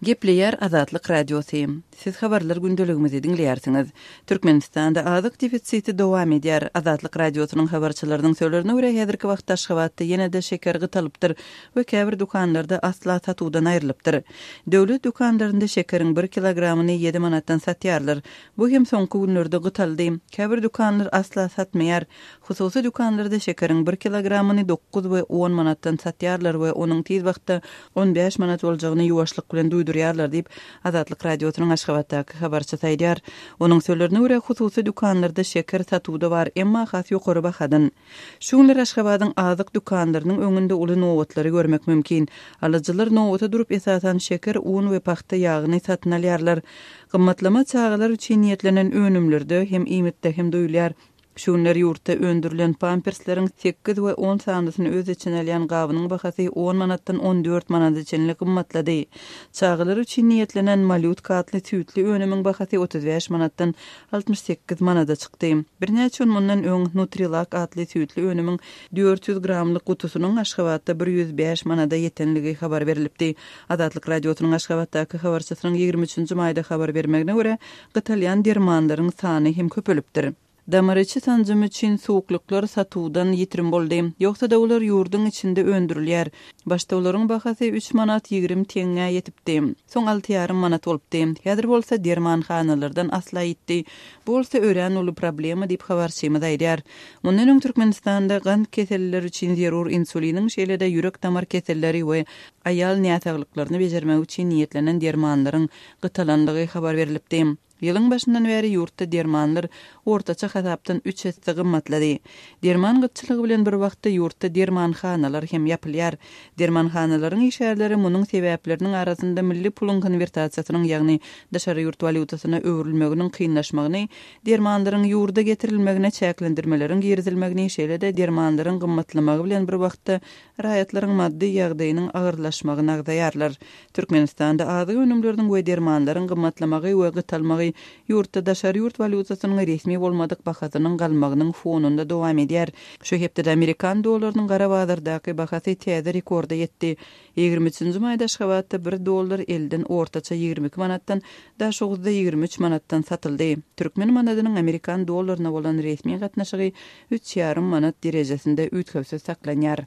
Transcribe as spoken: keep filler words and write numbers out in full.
Gepleýär Azatlyk Radiosy. Siz habarlar gündeligimizi diňleýärsiňiz. Türkmenistanda azyk defisiti dowam edýär. Azatlyk Radiosynyň habarçylarynyň sözlerine görä, häzirki wagtda Aşgabatda ýene-de şeker gytalypdyr we käbir dükanlarda asla satuwdan aýrylypdyr. Döwlet dükanlarynda şekeriň bir kilogramyny ýedi manatdan satýarlar. Bu hem soňky günlerde gytaldy. Käbir dükanlar asla satmaýar. Hususy dükanlarda şekeriň bir kilogramyny dokuz we on manatdan satýarlar we onuň tiz wagtda on bäş manat boljagyny ýuwaşlyk bilen duýdurýarlar diýip, Azatlyk Radiosynyň Aşgabatdaky habarçysy aýdýar. Onuň sözlerine görä, hususy dükanlarda şeker satuwda bar, emma has ýokary bahadan. Şu günler Aşgabadyň azyk dükanlarynyň öňünde uly nobatlary görmek mümkin. Alyjylar nobata durup, esasan şeker, un we pagta ýagyny satyn alýarlar. Gymmatlama çagalar üçin niýetlenen önümlerde hem iýmitde hem duýulýar. Şu günler ýurtda öndürilen pampersleriň sekiz we on sanysyny öz içine alýan gabynyň bahasy on manatdan on dört manada çenli gymmatlady. Çagalar üçin niýetlenen malýutka atly süýtli önümiň bahasy otuz bäş manatdan altmyş sekiz manada çykdy. Birnäçe gün mundan öň Nutrilak atly süýtli önümiň dört ýüz gramlyk gutusynyň Aşgabatda bir ýüz bäş manada ýetenligi habar berlipdi. Azatlyk Radiosynyň Aşgabatdaky habarçysynyň ýigrimi üçünji maýda habar bermegine görä, gytalýan dermanlaryň sany hem köpelipdir. Damar içi sanjym üçin suwuklyklar satuwdan ýitirim boldy. Ýogsa-da olar ýurduň içinde öndürilýär. Başda olaryň bahasy üç manat ýigrimi teňňä ýetipdi. Soň alty ýarym manat bolupdy. Häzir bolsa dermanhanalardan asla ýitdi. Bu bolsa örän uly problema diýip habarçymyz aýdýar. Mundan öň Türkmenistanda gant kesellileri üçin zerur insuliniň, şeýle-de ýürek-damar keselleri we aýal näsaglyklaryny bejermek üçin niýetlenen dermanlaryň gytalandygy habar berlipdi. Ýylyň başyndan bäri ýurtda dermanlar ortaça hasapdan üç esse gymmatlady. Derman gytçylygy bilen bir wagtda ýurtda dermanhanalar hem ýapylýar. Dermanhanalaryň işgärleri munuň sebäpleriniň arasynda milli puluň konwertasiýasynyň, ýagny daşary ýurt walýutasyna öwrülmeginiň kynlaşmagyny, dermanlaryň ýurda getirilmegine çäklendirmeleriň girizilmegini, şeýle-de dermanlaryň gymmatlamagy bilen bir wagtda raýatlaryň maddy ýagdaýynyň agyrlaşmagyny agzaýarlar. Türkmenistanda azyk önümleriniň we dermanlaryň gymmatlamagy we gytalmagy ýurtda daşary ýurt walýutasynyň resmi bolmadyk bahasynyň galmagynyň fonunda dowam edýär. Şu hepdede amerikan dollarynyň gara bazardaky bahasy täze rekorda ýetdi. Ýigrimi üçünji maýda Aşgabatda bir dollar elden ortaça ýigrimi iki manatdan, Daşoguzda ýigrimi üç manatdan satyldy. Türkmen manadynyň amerikan dollaryna bolan resmi gatnaşygy üç ýarym manat derejesinde üýtgewsiz saklanýar.